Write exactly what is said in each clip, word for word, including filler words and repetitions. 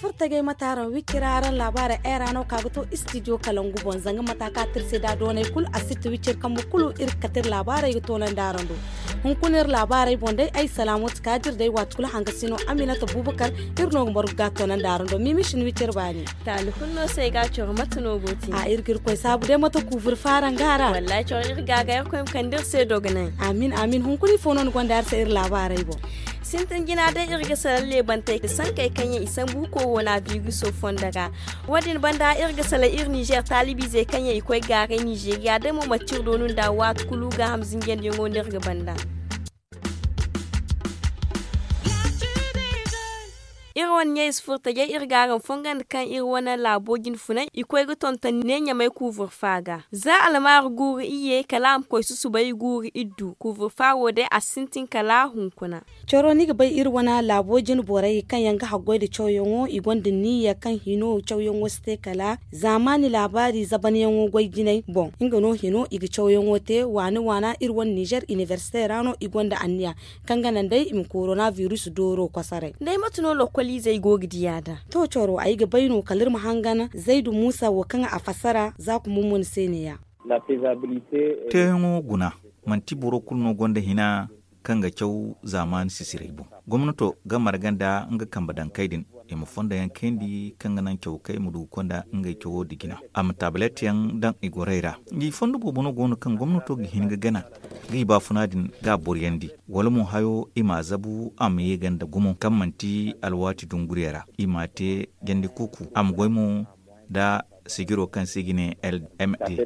Furtajey mate araŋ wicci ra araŋ laabaarey ay ra no ka ga to istidiyo kalangu boŋ zanga mata ka tirse da doonay kulu a sitta wicci iri kambe kulu iri ga kate iri laabaarey ga toonandi araŋ do. Hunkuna iri laabaarey boŋ day ay salaamu ti ka dira day waati kulu hanga sino aminata buubakar iri no ga margu ga toonandi araŋ do mimisin wicci iri baani. Taali kulu no se ay ga coro mate no go te a iri ga iri koy saabu day mate kuubur faara nga ra. Wallahi coro iri ga ga iri koy ma kande iri se dogonay. Amin amin hunkuna ifo no ni gonda iri se iri laabaarey boŋ. Sintin jina day iri ga salaŋ leebantey da sankey kaŋ yaŋ i sambu koronabiriso fondo ra. Wo- din banda iri ga salaŋ iri nizeer taalibiizey kaŋ yaŋ i koy gaaray nizeeriya day mo manti iri doonu nda waati kulu gaaham zinjandiyaŋo no iri ga banda. Iri wane ɲayze furtajey iri ga araŋ fongandi kaŋ iri wane laabo jine funay i koy ga tonton ne ɲamay kuubur fa ga za almaaru guuru iyye kala a ma koy susubay guuru iddu kuubur fa wo day a sintin kala hunkuna. Coro ni ga bay iri wane laabo jine borey kaŋ yaŋ ga haggoy nda cawyaŋo i gonda niyya kaŋ hino cawyaŋo si te kala zaamaani laabaari zabanyaŋo goy jinay boŋ nga no hino i ga cawyaŋo te waani waana iri wane nizer inibersite ra no i gonda anniya kaŋ ga naŋ day i ma korona biris dooro kosoray. Day mate no lokoliizey go ga diya nd'a? To coro ay ga bay no kala iri ma hangan zaydu muusa wo kaŋ a fassara za kumbumuni se neeya. Teeyaŋo guna manti boro kulu no gonda hina kaŋ ga caw zaamaani sisiray boŋ. Gomnato ga marga nda nga kambe dankey din i ma fondo yaŋ kayndi kaŋ ga naŋ cawkey ma du ga konda ngey cawo nda jina a ma taabilet yaŋ daŋ i gorey ra. Ngi fondo boobo no go no kaŋ gomnato ga hin ga gana ga i baafuna din ga a boryandi wala mo hayo i m'a zabu a ma ye ga nda gumo kaŋ manti alwaati dunguriya ra i m'a te jandi kuuku a ma goy mo nda sijiro kaŋ se i ga ne lmd.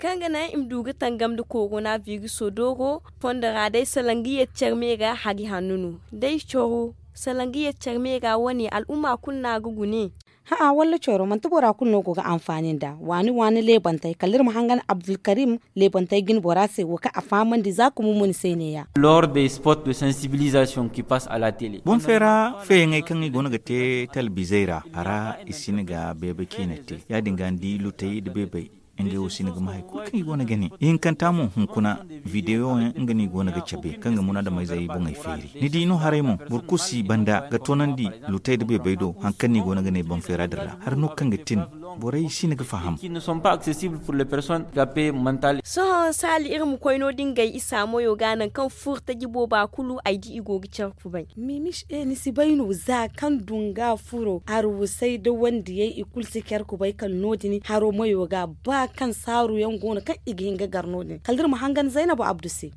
Kaŋ ga naŋ i ma du ga tangam nda korona biriso dooro fondo ra day salaŋ ga yeti care me ga hari hanno no day coro salaŋ ga yeti care me ga wane al'umma kulu no a ga gune. Hã'ã walla coro manti bora kulu no go ga anfaani nda waani waani leebantey kala iri ma hangan abdulkarim leebantey jine bora se wo kaŋ a fahamandi za kumu mo ni se neeya. Lors des spots de sensibilisation ki passe à la télé. Boŋ feera feeyaŋey kaŋ i go no ga te talbizey ra a ra i si ni ga beebe ciine te ya- din ga ni di lutey nda beebey ngey wo si ni ga ma hari kulu kaŋ i go no ga ne ihinkanta mo hunkuna videyo yaŋ nga no i go no ga cabe kaŋ ga munaadameyzey boŋey feeri. Ni di no haray mo boro kulu si banda ga toonandi lutey nda beebey do hari kaŋ no i go no ga ne boŋ feera din ra hari no kaŋ ga tin borey si ni ga faham. Sohõ saali iri ma koy no- din gay isa moyo ga nangu kaŋ furtaji booba kulu ay di i go ga care kubay. Mimis e ni si bay no za kaŋ dunga furo arwusay da wandiyey i kulu si care kubay kala no- din haro mayo ga ba kaŋ saaru yaŋ go no kaŋ i ga hin ga gar no- din kala da iri ma hangan zaynabo abdu se.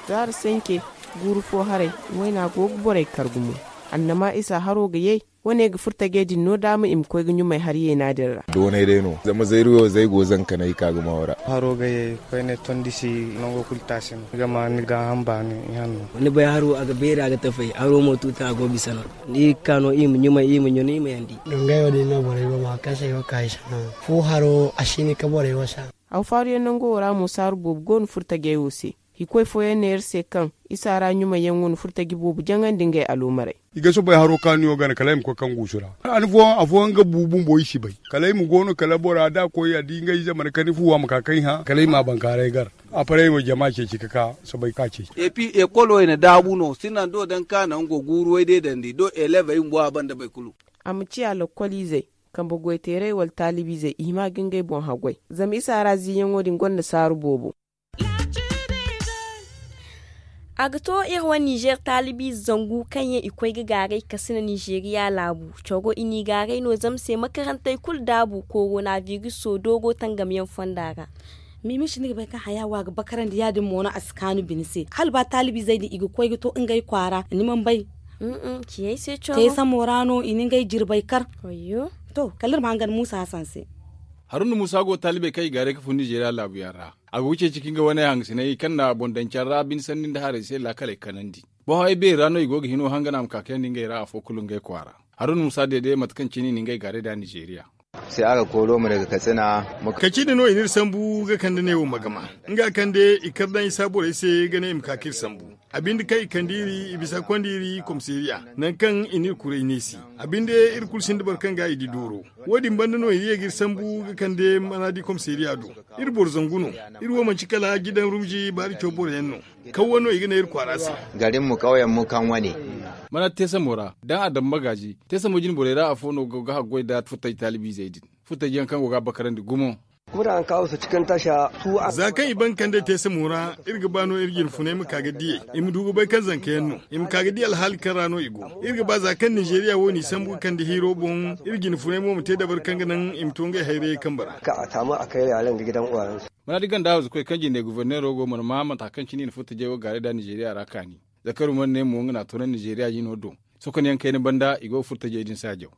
Zaari sanke guuru fo haray wayna go ga borey kar gumo annama isa haro ga yay. Wane ga furtajey din no daama i ma koy ga ɲumay hari yeena din ra. Doonay day no zama zayruyo zay go zankanay i ka ga maawo ra. Haro ga ye koyne tondi si nango kulu taasi no ni ga ma ni gaaham baani. Ihanno ni bay haro a ga beeri a ga tafay haro mo tuuta a go bisa no. Iri ga ka no iri ma ɲumay iri ma ɲun iri ma yandi. Dungayo din no borey go ma kaŋ se ay go ka ay sanaŋ fo haro a si hin ka borey wasa. Haw faaruyaŋ nango wo ra mo saaru boobo go no furtajey wo se. Hikoy fooyaŋ ne iri se kaŋ isa ra ɲumay yaŋ wane furtaji boobo jaŋandi ngey aloomarey. I ga soobay haro kaanu yaŋo gana kala ay ma koy kaŋ guusu ra. Afooyaŋ afooyaŋ ga bu bumbo i si bay kala ay ma go no kala bora da a koy a di ngey zamana kani fu a ma ka kaŋ i hã kala ay ma a bankaaray gar. Aparey wo jama ceeci ka ka soobay ka ceeci. Epi ekolo i na daabu no sinando daŋ ka naŋ go guuru way day dandi do elevey bumbo a banda bay kulu. A ma ciya lokkoliizey kambe goyteerey wala taalibiizey i hima ga ngey boŋ haggoy. Zama isa ra ziiyaŋo din gonda saaru boobo. A ga to iri wane nizer taalibiize zangu kaŋ yaŋ i koy ga gaaray kasina nizeeriya laabu. Coro i n'i gaaray no zama se makarantey kulu daabu korona biriso doogo tangamyaŋ fonda ra. Miimiisi ni ga bay kaŋ haya wo a ga bakarandi ya- din mo no a si kaanu bine se hala ba taalibiizey din i ga koy ga to ngey kwaara ni mana bay. Ciyey se coro te samo ra no i na ngey jirbey kar. To kala iri ma hangan muusa hasan se. Haruna muusa go taalibey kaŋ i gaaray ga fun nizeeriya laabuyaŋ ra. A go ga ceeci ka nga wane hangasinay kaŋ na boŋ daŋ care ra bine sanni nda haray se laakaley kanandi. Boŋ haray beeri ra no i go ga hino hangan a ma ka kayandi ngey ra afo kulu ngey kwaara. Haruna muusa deede mate kaŋ cine i na ngey gaaray nd'a nizeeriya. Kaci din no i n'iri sambu ga kande ne wo magama nga kande i kar daŋ isa borey se ga ne i ma ka k'iri sambu. A binde kaŋ i kande iri i bisa konda iri komisariya nangu kaŋ i n'iri kuray neesi. A binde iri kulu sinda boro kaŋ ga i di dooro. Wo- din banda no i ye ga iri sambu ga kande maraadi komisariya do. Iri boro zangu no. Iri wo manci kala jidan rumji baari caw boroyaŋ no. Kawwa no i ga ne iri kwaara se. Garin mu kauyen mu kan wane. Mana teesamo ra daŋ a daŋ magaaji teesamo jine borey ra afo no ga haggoy nda furtaji taalibiizey din. Furtaji yaŋ kaŋ go ga a bakarandi gumo. Za kaŋ i ban kande teesamo ra iri ga ba no iri jine funay ma ka ga diyey. I ma du ga bay kaŋ zanka yaŋ no i ma ka ga di alhaali kaŋ ra no i go. Iri ga ba za kaŋ ninzeeriya wo n'i sambu ga kande hiiro boŋ iri jine funay mo ma te dabari kaŋ ga naŋ i ma to ngey hayrayey kambe ra. Maraadi ganda hawzu koy kaŋ jinde guverneero go mana ma mata kaŋ cine i na furtajey wo gaaray nda ninzeeriya ra kaani. Zakaru mana ne mo nga na a to naŋ ninzeeriya jino do. Sokonyaŋ kayna banda i go ga furtajey din saajaw.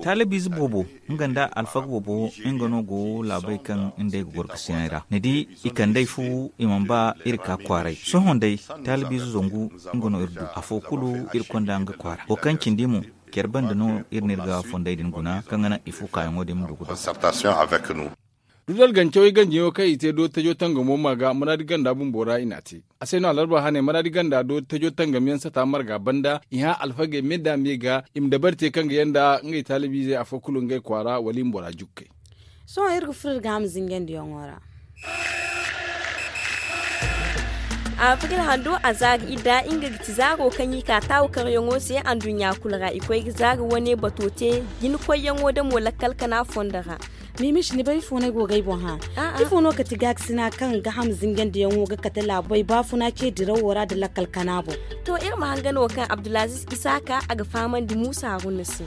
Taalibiize boobo nga nda alfaga boobo nga no go laabey kaŋ nd'ey ga goro ga sinay ra ni di. I kand'ey fu i mana ba iri ka kwaaray sohõ day. Taalibiize zangu nga no iri du afo kulu iri konda nga kwaara wo kaŋ cindi mo. Care banda no iri n'iri ga fondey din guna kaŋ ga naŋ i fu kaayaŋo din ma du ga du. Dudal gancawey ganjiyaŋo kaŋ i te dooti-tajo tangamo ma ga maraadi ganda bumbo ra i n'a te. A se no alarba hane maraadi ganda dooti-tajo tangamyaŋ sata marga banda i hã alfagey me nda me ga i ma dabari te kaŋ ga yanda ngey taalibiizey afo kulu ngey kwaara wala i ma bora jukkey. Sohõ iri ga furo iri ga hama zinjandiyaŋo ra. Abril hando a zaari idda nga ga ti zaaro kaŋ i ka taawu karyaŋo se anduɲɲa kulu ra i koy ga zaari wane bato te. Jina koyyaŋo damo lakkal kana fondo ra. Mimish ni bay ifo no ay go ga ay boŋ hã? Ifo no kati gaakasina kaŋ ga ham zingandiyaŋo ga kate laabey baafuna ce dirawo ra nda lakkal kana boŋ? To iri ma hangan wo kaŋ abdulaziz isaaka a ga fahamandi muusa haruna se.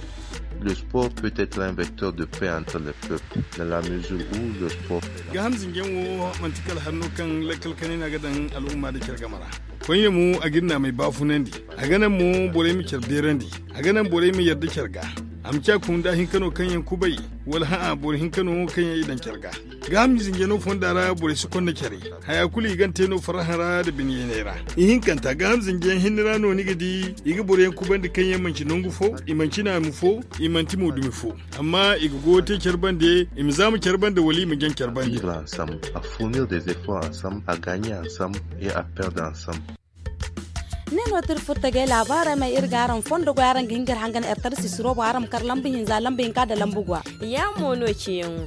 Le sport peut être un vecteur de paix entre les peuples dans la mesure où le sport. Gaaham zinjaŋ wo manti kala hanno kaŋ lakkal kanay no a ga daŋ al'umma nda care game ra. Koyne mo a ga iri naamey baafunandi. A ga naŋ mo borey ma care beerandi. A ga naŋ borey ma yadda care ga. A ma ci a kun da hinka no kaŋ yaŋ kubay wala hã'a boro hinka no kaŋ yaŋ i daŋ care ga. Gaaham zinjano fonda ra borey si konda care. Haya kulu i gan te no farraha ra nda bine yayney ra. Ihinkanta gaaham zinjiyaŋ hinne ra no ni ga di i ga boroyaŋ kubandi kaŋ yaŋ manci nangu fo, i manci naamu fo, i manti mo dumi fo. Amma i ga goyo te care bande i ma zaama care bande wala i ma jaŋ care bande. Vivre ensemble, à fournir des efforts ensemble, à gagner ensemble et à perdre ensemble. Ne no tira furtagay laabaarey ma iri ga araŋ fondo goy araŋ ga hin ga iri hangan ertar sisiro bo araŋ ma kar lamba hinza lamba hinka nda lamba gwa. Ya mo no ciyaŋo.